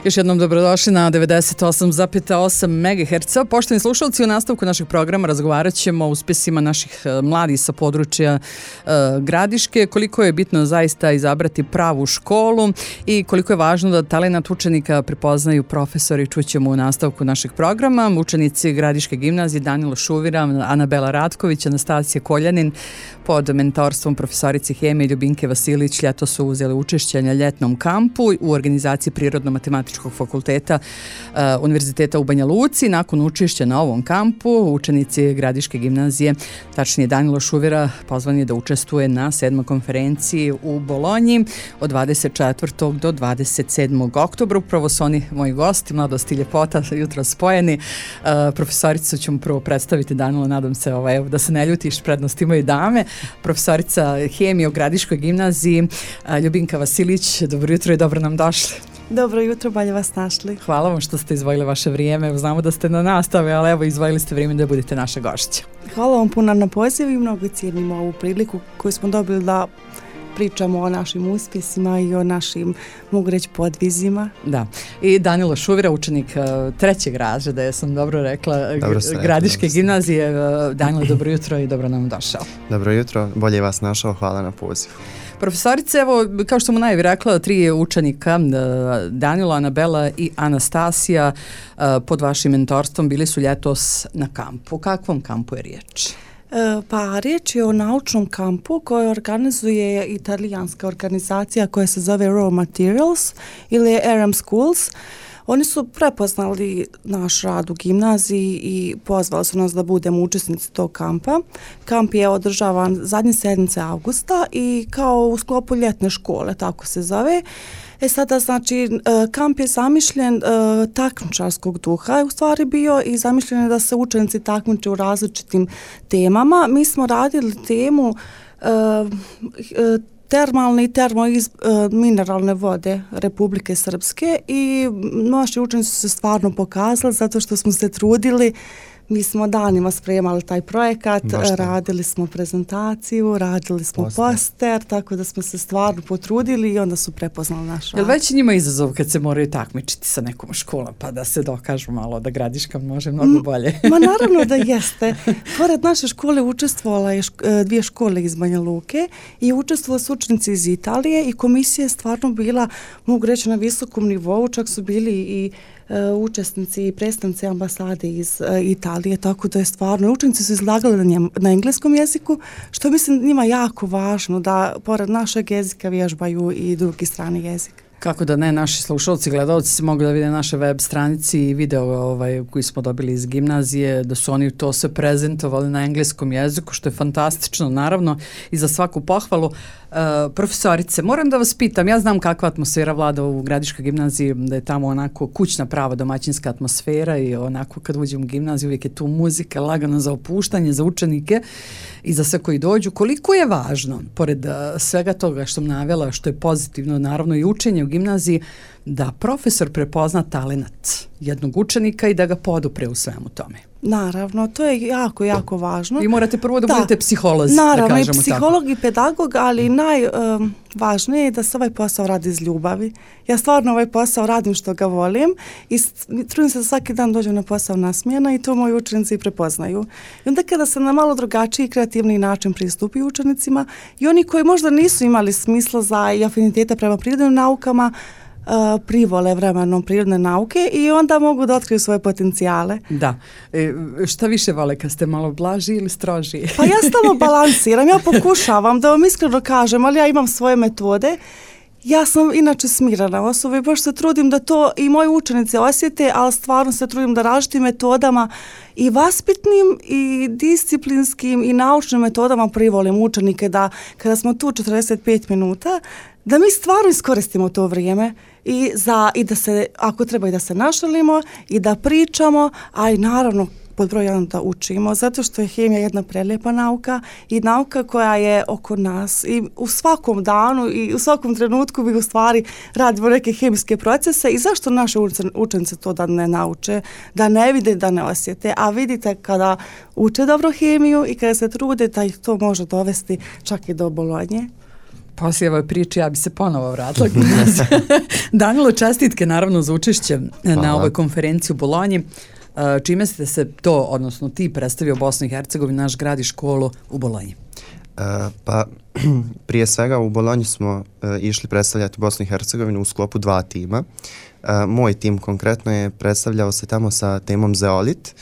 Još jednom dobrodošli na 98,8 MHz. Poštovani slušalci, u nastavku našeg programa razgovarat ćemo o uspjesima naših mladih sa područja Gradiške, koliko je bitno zaista izabrati pravu školu i koliko je važno da talenat učenika prepoznaju profesori. Čućemo u nastavku našeg programa. Učenici Gradiške gimnazije Danilo Šuvira, Anabela Ratković, Anastasija Koljanin pod mentorstvom profesorice hemije Ljubinke Vasilić ljeto su uzeli učešće na ljetnom kampu u organizaciji Prirodno-matematičkog fakulteta Univerziteta u Banja Luci. Nakon učešća na ovom kampu, učenici Gradiške gimnazije, tačnije Danilo Šuvira, pozvan je da učestvuje na 7. konferenciji u Bolonji od 24. do 27. oktobra. Upravo su oni moji gosti, mladost i ljepota, jutro spojeni. Profesoricu ćemo prvo predstaviti, Danilo, nadam se da se ne ljutiš, prednost imaju dame. Profesorica hemije u Gradiškoj gimnaziji Ljubinka Vasilić, dobro jutro i dobro nam došli. Dobro jutro, bolje vas našli. Hvala vam što ste izdvojili vaše vrijeme. Znamo da ste na nastave, ali evo izdvojili ste vrijeme da budete naše gošće. Hvala vam puno na poziv i mnogo cijenimo ovu priliku koju smo dobili da pričamo o našim uspjesima i o našim, mogu reći, podvizima. Da. I Danilo Šuvira, učenik 3. razreda, ja sam dobro rekla, Gradiške gimnazije. Danilo, dobro jutro i dobro nam došao. Dobro jutro, bolje vas našao, hvala na pozivu. Profesorice, evo, kao što mu najavi rekla, 3 učenika, Danilo, Anabela i Anastasija, pod vašim mentorstvom bili su ljetos na kampu. O kakvom kampu je riječ? Pa riječ je o naučnom kampu koji organizuje italijanska organizacija koja se zove Raw Materials ili RM Schools. Oni su prepoznali naš rad u gimnaziji i pozvali su nas da budemo učesnici tog kampa. Kamp je održavan zadnje sedmice avgusta i kao u sklopu ljetne škole, tako se zove. Sada, znači, kamp je zamišljen takmičarskog duha je u stvari bio i zamišljen je da se učenici takmiče u različitim temama. Mi smo radili temu termalne i mineralne vode Republike Srpske i naši učenici su se stvarno pokazali zato što smo se trudili. Mi smo danima spremali taj projekat, radili smo prezentaciju, radili smo poster, tako da smo se stvarno potrudili i onda su prepoznali naš rad. Jel već njima izazov kad se moraju takmičiti sa nekom školom, pa da se dokažu malo da Gradiška može mnogo bolje? Ma naravno da jeste. Pored naše škole učestvovala je 2 škole iz Banja Luke i učestvovali su učenici iz Italije i komisija je stvarno bila, mogu reći, na visokom nivou, čak su bili i učesnici i predstavnici ambasade iz Italije, tako da je stvarno, učenici su izlagali na engleskom jeziku, što mislim njima jako važno da pored našeg jezika vježbaju i drugi strani jezik. Kako da ne, naši slušalci, gledalci se mogu da vide naše web stranici i video koji smo dobili iz gimnazije, da su oni to sve prezentovali na engleskom jeziku, što je fantastično, naravno, i za svaku pohvalu. Profesorice, moram da vas pitam, ja znam kakva atmosfera vlada u Gradiškoj gimnaziji, da je tamo onako kućna prava domaćinska atmosfera i onako kad uđem u gimnaziju uvijek je tu muzika lagana za opuštanje, za učenike i za sve koji dođu. Koliko je važno, pored svega toga što sam navela, što je pozitivno, naravno i učenje u gimnaziji, da profesor prepozna talenat jednog učenika i da ga podupre u svemu tome? Naravno, to je jako, jako važno. I morate prvo da budete psiholozi, naravno, da kažemo i psiholog tako. I pedagog, ali najvažnije je da se ovaj posao radi iz ljubavi. Ja stvarno ovaj posao radim što ga volim i trudim se da svaki dan dođem na posao nasmijena i to moji učenici prepoznaju. I onda kada se na malo drugačiji kreativni način pristupi učenicima i oni koji možda nisu imali smisla za i afiniteta prema prirodnim naukama, privole vremenom prirodne nauke i onda mogu da otkriju svoje potencijale. Da. Šta više vole, kad ste malo blaži ili stroži? Pa ja stalno balansiram, ja pokušavam da vam iskreno kažem, ali ja imam svoje metode. Ja sam inače smirana osoba i baš se trudim da to i moji učenici osjete, ali stvarno se trudim da različitim metodama i vaspitnim i disciplinskim i naučnim metodama privolim učenike da kada smo tu 45 minuta, da mi stvarno iskoristimo to vrijeme i da se, ako treba i da se našalimo i da pričamo, a i naravno pod broj 1 da učimo, zato što je hemija jedna prelijepa nauka i nauka koja je oko nas i u svakom danu i u svakom trenutku mi u stvari radimo neke hemijske procese i zašto naše učenice to da ne nauče, da ne vide, da ne osjete, a vidite kada uče dobro hemiju i kada se trude da ih to može dovesti čak i do Bolonje. Poslije ove priče ja bi se ponovo vratila. Danilo, čestitke naravno za učešće na ovoj konferenciji u Bolonji. Čime ste se to, odnosno ti, predstavio Bosnu i Hercegovinu, naš grad i školu u Bolonji? Pa prije svega u Bolonji smo išli predstavljati Bosnu i Hercegovinu u sklopu 2 tima. Moj tim konkretno je predstavljao se tamo sa temom zeolit,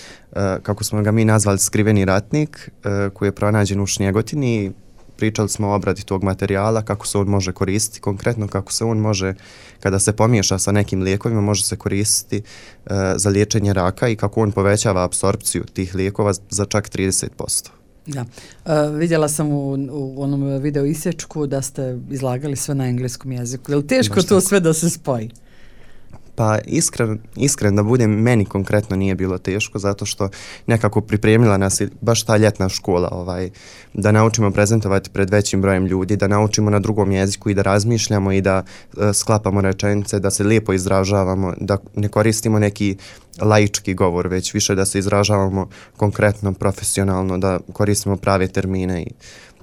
kako smo ga mi nazvali skriveni ratnik, koji je pronađen u Šnjegotini. Pričali smo o obradi tog materijala, kako se on može koristiti, konkretno kako se on može, kada se pomiješa sa nekim lijekovima, može se koristiti za liječenje raka i kako on povećava apsorpciju tih lijekova za čak 30%. Da. Vidjela sam u onom video isječku da ste izlagali sve na engleskom jeziku. Je li teško to sve da se spoji? Pa iskren da budem, meni konkretno nije bilo teško, zato što nekako pripremila nas baš ta ljetna škola, da naučimo prezentovati pred većim brojem ljudi, da naučimo na drugom jeziku i da razmišljamo i da sklapamo rečenice, da se lijepo izražavamo, da ne koristimo neki laički govor, već više da se izražavamo konkretno, profesionalno, da koristimo prave termine i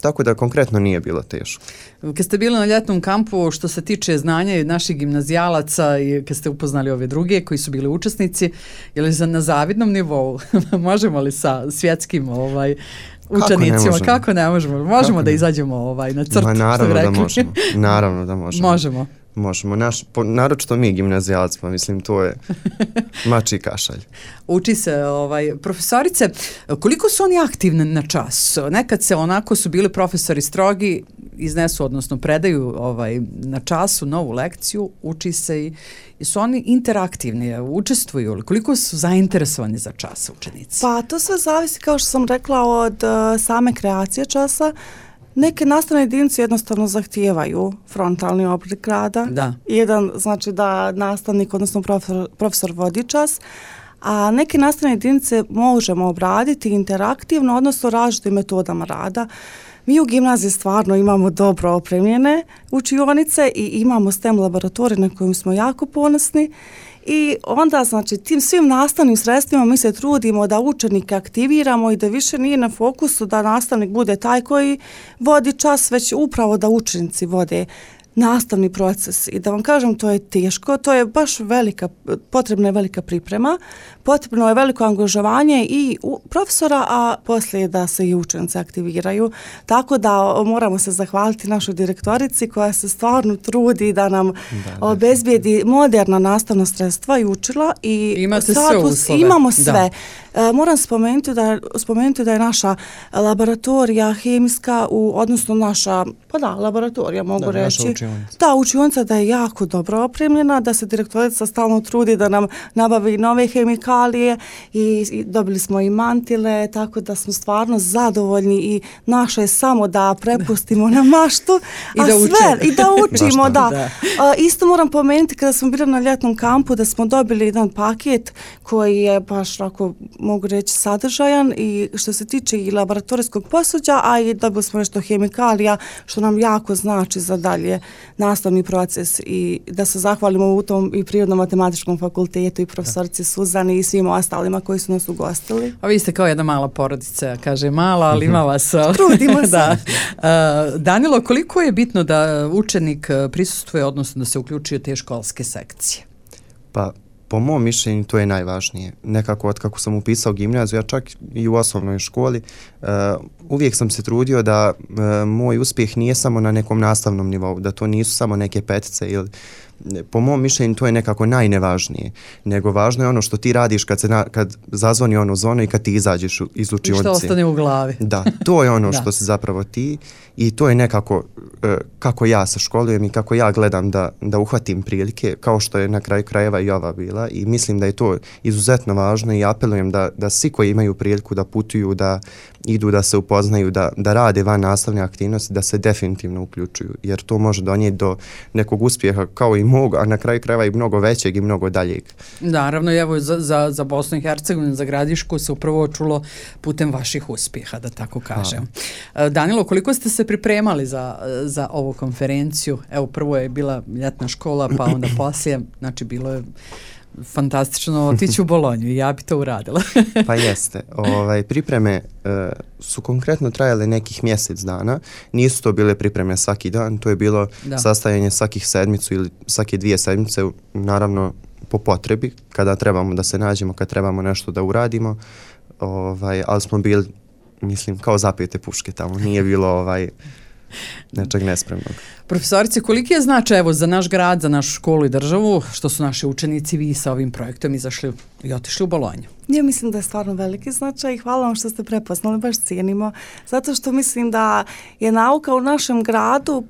tako da konkretno nije bilo teško. Kad ste bili na ljetnom kampu, što se tiče znanja naših gimnazijalaca i kad ste upoznali ove druge koji su bili učesnici, je li na zavidnom nivou? Možemo li sa svjetskim učenicima? Kako ne možemo? Možemo da izađemo na crtu? Naravno da možemo. Možemo. Možemo, naročito mi gimnazijalac, pa mislim to je mači kašalj. Uči se, profesorice, koliko su oni aktivni na čas? Nekad se onako su bili profesori strogi, iznesu, odnosno predaju na času novu lekciju, uči se i su oni interaktivni, učestvuju, koliko su zainteresovani za čas učenici? Pa to sve zavisi, kao što sam rekla, od same kreacije časa. Neke nastavne jedinice jednostavno zahtijevaju frontalni oblik rada. Da. Jedan znači da nastavnik, odnosno profesor vodi čas, a neke nastavne jedinice možemo obraditi interaktivno, odnosno različitim metodama rada. Mi u gimnaziji stvarno imamo dobro opremljene učionice i imamo STEM laboratorij na kojim smo jako ponosni. I onda, znači, tim svim nastavnim sredstvima mi se trudimo da učenike aktiviramo i da više nije na fokusu da nastavnik bude taj koji vodi čas, već upravo da učenici vode nastavni proces. I da vam kažem, to je teško, to je baš potrebna je velika priprema, potrebno je veliko angažovanje i profesora, a poslije da se i učenici aktiviraju. Tako da moramo se zahvaliti našoj direktorici koja se stvarno trudi da nam obezbijedi moderna nastavna sredstva i učila. I imate sve uslove. Imamo sve. Moram spomenuti da je naša laboratorija hemijska, odnosno naša, laboratorija mogu reći. Ta učionica da je jako dobro opremljena, da se direktorica stalno trudi da nam nabavi nove hemikalije i dobili smo i mantile, tako da smo stvarno zadovoljni i naše je samo da prepustimo na maštu i da učimo. Da. Isto moram pomenuti kada smo bili na ljetnom kampu da smo dobili jedan paket koji je baš ako mogu reći sadržajan i što se tiče i laboratorijskog posuđa, a i dobili smo nešto hemikalija što nam jako znači za dalje nastavni proces i da se zahvalimo u tom i Prirodno-matematičkom fakultetu i profesorici Suzani i svim ostalima koji su nas ugostili. A vi ste kao jedna mala porodica, kaže mala, ali ima vas. Trudimo se. Da. Danilo, koliko je bitno da učenik prisustvuje, odnosno da se uključuje te školske sekcije? Pa, po mom mišljenju to je najvažnije. Nekako od kako sam upisao gimnaziju, ja čak i u osnovnoj školi, uvijek sam se trudio da moj uspjeh nije samo na nekom nastavnom nivou, da to nisu samo neke petice ili po mom mišljenju to je nekako najnevažnije, nego važno je ono što ti radiš kad zazvoni ono zvono i kad ti izađeš iz učionice. I što ostane u glavi. Da, to je ono što si zapravo ti i to je nekako kako ja se školujem i kako ja gledam da uhvatim prilike, kao što je na kraju krajeva i ova bila i mislim da je to izuzetno važno i apelujem da svi koji imaju priliku da putuju, da idu, da se upoznaju, da rade van nastavne aktivnosti, da se definitivno uključuju, jer to može donijeti do nekog uspjeha kao i mog, a na kraju krajeva i mnogo većeg i mnogo daljeg. Naravno, evo za Bosnu i Hercegovinu, za Gradišku se upravo čulo putem vaših uspjeha, da tako kažem. Danilo, koliko ste se pripremali za ovu konferenciju? Evo, prvo je bila ljetna škola, pa onda poslije, znači bilo je Fantastično otići u Bolonju, ja bi to uradila. Pa jeste. Pripreme su konkretno trajale nekih mjesec dana. Nisu to bile pripreme svaki dan, to je bilo sastajanje svakih sedmicu ili svake 2 sedmice, naravno po potrebi, kada trebamo da se nađemo, kad trebamo nešto da uradimo, ali smo bili, mislim, kao zapijete puške tamo, nije bilo nečeg nespremnog. Profesorice, koliki je značaj evo za naš grad, za našu školu i državu, što su naši učenici vi sa ovim projektom izašli i otišli u Bolonju? Ja mislim da je stvarno veliki značaj i hvala vam što ste prepoznali, baš cijenimo, zato što mislim da je nauka u našem gradu,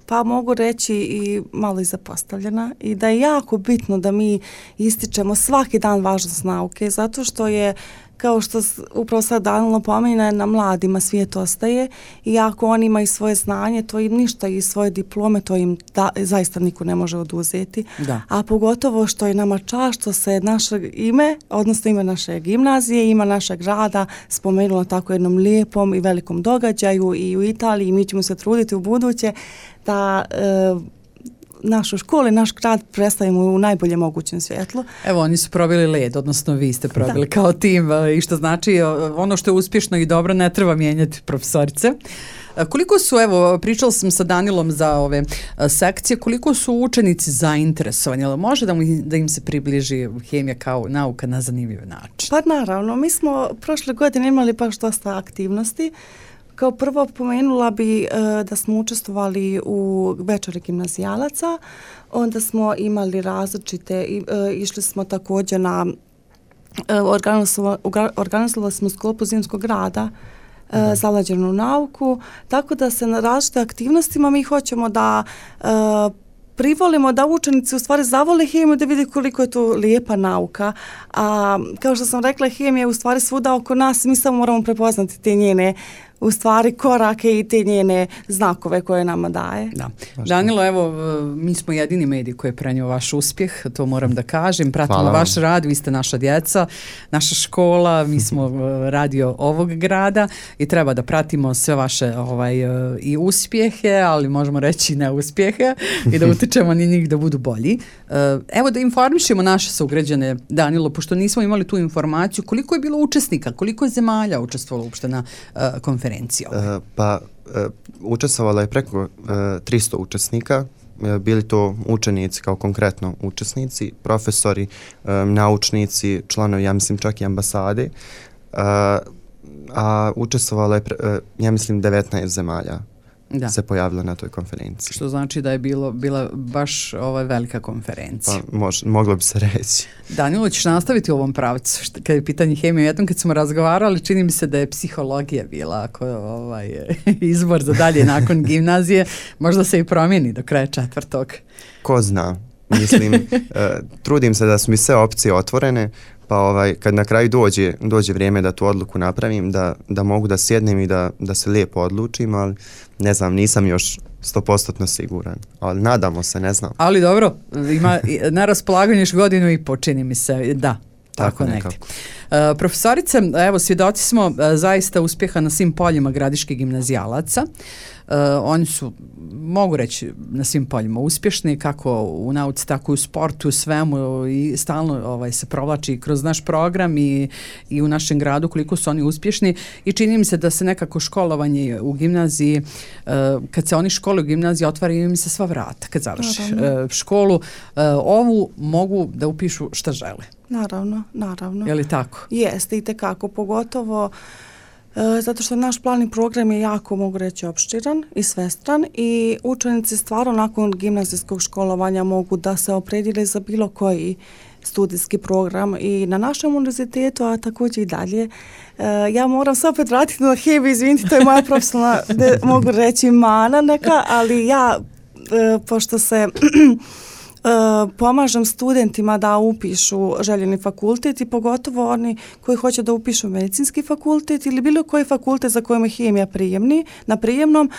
pa mogu reći i malo i zapostavljena, i da je jako bitno da mi ističemo svaki dan važnost nauke, zato što je, kao što upravo sad Danilo pomena, na mladima svijet ostaje i ako oni imaju svoje znanje, to im ništa, i svoje diplome, to im zaista niko ne može oduzeti. Da. A pogotovo što je nama čast što se naše ime, odnosno ime naše gimnazije, ima našeg grada spomenula tako jednom lijepom i velikom događaju i u Italiji, i mi ćemo se truditi u buduće da našu školu i naš grad predstavimo u najbolje mogućem svjetlu. Evo, oni su probili led, odnosno vi ste probili kao tim, i što znači ono što je uspješno i dobro ne treba mijenjati, profesorice. Koliko su, evo, pričala sam sa Danilom za ove sekcije, koliko su učenici zainteresovani, ali može da im se približi hemija kao nauka na zanimljiv način? Pa naravno, mi smo prošle godine imali baš dosta aktivnosti. Kao prvo pomenula bi da smo učestvovali u večeri gimnazijalaca, onda smo imali različite, išli smo također na, organizovali smo sklopu zimskog rada, zalađenu nauku, tako da se na različite aktivnostima mi hoćemo da privolimo da učenici u stvari zavole hemiju, da vidi koliko je to lijepa nauka. A kao što sam rekla, hemija je u stvari svuda oko nas, mi samo moramo prepoznati te njene u stvari korake i te njene znakove koje nama daje. Da. Danilo, evo, mi smo jedini medij koji je prenio vaš uspjeh, to moram da kažem. Pratimo vaš rad, vi ste naša djeca, naša škola, mi smo radio ovog grada i treba da pratimo sve vaše i uspjehe, ali možemo reći i neuspjehe i da utičemo na njih da budu bolji. Evo da informišemo naše sugrađane, Danilo, pošto nismo imali tu informaciju, koliko je bilo učesnika, koliko je zemalja učestvovalo uopšte na konferenciji? Učestvovalo je preko 300 učesnika, bili to učenici kao konkretno učesnici, profesori, naučnici, članovi, ja mislim čak i ambasade, a učestvovalo je, ja mislim, 19 zemalja. Se pojavilo na toj konferenciji. Što znači da je bila baš velika konferencija. Pa moglo bi se reći. Danilo, ćeš nastaviti u ovom pravcu kad je pitanje hemije. Jednom kad smo razgovarali, čini mi se da je psihologija bila izbor za dalje nakon gimnazije. Možda se i promijeni do kraja 4. Ko zna. Mislim, trudim se da su mi sve opcije otvorene, pa kad na kraju dođe vrijeme da tu odluku napravim, da mogu da sjednem i da se lijepo odlučim, ali ne znam, nisam još 100% siguran, ali nadamo se, ne znam. Ali dobro, ima na raspolaganju još godinu i po, čini mi se, da. Tako nekako. Profesorice, evo, svjedoci smo zaista uspjeha na svim poljima gradiških gimnazijalaca. Oni su, mogu reći, na svim poljima uspješni, kako u nauci, tako i u sportu, u svemu, i stalno se provlači kroz naš program i u našem gradu koliko su oni uspješni, i čini mi se da se nekako školovanje u gimnaziji, kad se oni školuju u gimnaziji, otvaraju im se sva vrata kad završi školu. Ovu mogu da upišu šta žele. Naravno. Je li tako? Jeste, i tekako, pogotovo zato što naš planni program je jako, mogu reći, opširan i svestran, i učenici stvarno nakon gimnazijskog školovanja mogu da se opredijele za bilo koji studijski program i na našem univerzitetu, a također i dalje. Ja moram se opet vratiti na hemiju, izvinite, to je moja profesionalna, mogu reći, mana neka, ali ja, pošto se pomažem studentima da upišu željeni fakultet, i pogotovo oni koji hoće da upišu medicinski fakultet ili bilo koji fakultet za kojima je hemija na prijemnom,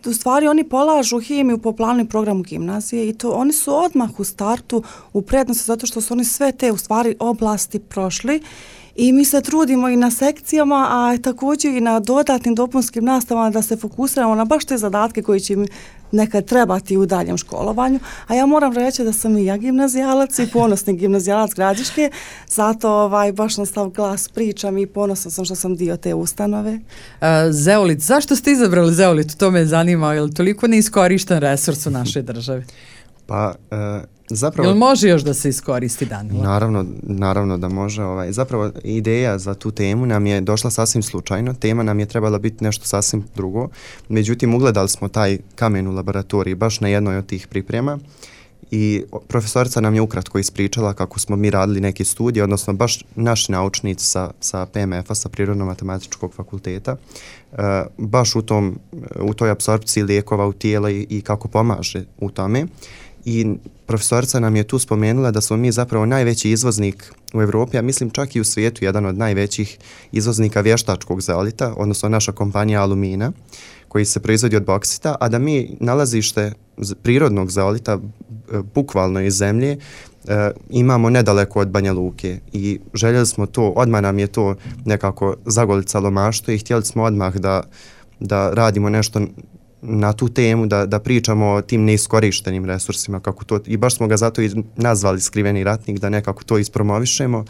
u stvari oni polažu hemiju po planu i programu gimnazije, i to oni su odmah u startu u prednosti, zato što su oni sve te u stvari oblasti prošli. I mi se trudimo i na sekcijama, a također i na dodatnim dopunskim nastavama da se fokusiramo na baš te zadatke koji će im nekad trebati u daljem školovanju, a ja moram reći da sam i ja gimnazijalac i ponosni gimnazijalac Gradiške, zato baš na stav glas pričam i ponosna sam što sam dio te ustanove. Zeolit, zašto ste izabrali zeolit? To me zanima, je li toliko neiskorišten resurs u našoj državi? Pa, zapravo... Jel može još da se iskoristi, Danilo? Naravno da može. Zapravo, ideja za tu temu nam je došla sasvim slučajno. Tema nam je trebala biti nešto sasvim drugo. Međutim, ugledali smo taj kamen u laboratoriji baš na jednoj od tih priprema i profesorica nam je ukratko ispričala kako smo mi radili neke studije, odnosno baš naši naučnici sa PMF-a, sa Prirodno-matematičkog fakulteta, baš u toj apsorpciji lijekova u tijela i kako pomaže u tome. I profesorica nam je tu spomenula da smo mi zapravo najveći izvoznik u Evropi, a mislim čak i u svijetu jedan od najvećih izvoznika vještačkog zeolita, odnosno naša kompanija Alumina, koji se proizvodi od boksita, a da mi nalazište prirodnog zeolita bukvalno iz zemlje imamo nedaleko od Banja Luke i željeli smo to, odmah nam je to nekako zagolicalo maštu i htjeli smo odmah da radimo nešto na tu temu, da pričamo o tim neiskorištenim resursima, kako to, i baš smo ga zato i nazvali Skriveni ratnik, da nekako to ispromovišemo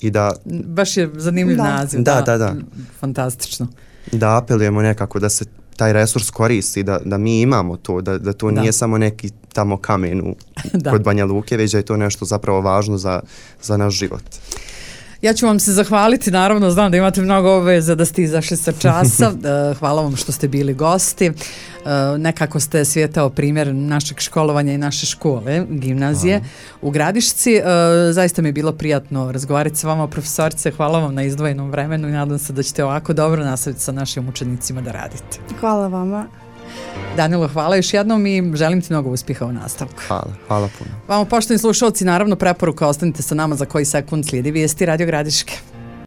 i da... Baš je zanimljiv naziv. Da. Fantastično. Da apelujemo nekako da se taj resurs koristi, da mi imamo to, da to nije samo neki tamo kamen kod Banja Luke, već da je to nešto zapravo važno za naš život. Ja ću vam se zahvaliti, naravno znam da imate mnogo obaveza da ste izašli sa časa. Hvala vam što ste bili gosti. Nekako ste svijetao primjer našeg školovanja i naše škole, gimnazije u Gradišci. Zaista mi je bilo prijatno razgovarati sa vama, profesorice. Hvala vam na izdvojenom vremenu i nadam se da ćete ovako dobro nastaviti sa našim učenicima da radite. Hvala vama. Danilo, hvala još jednom i želim ti mnogo uspjeha u nastavku. Hvala puno. Vama, poštovani slušalci, naravno preporuka, ostanite sa nama, za koji sekund slijedi vijesti Radio Gradiške.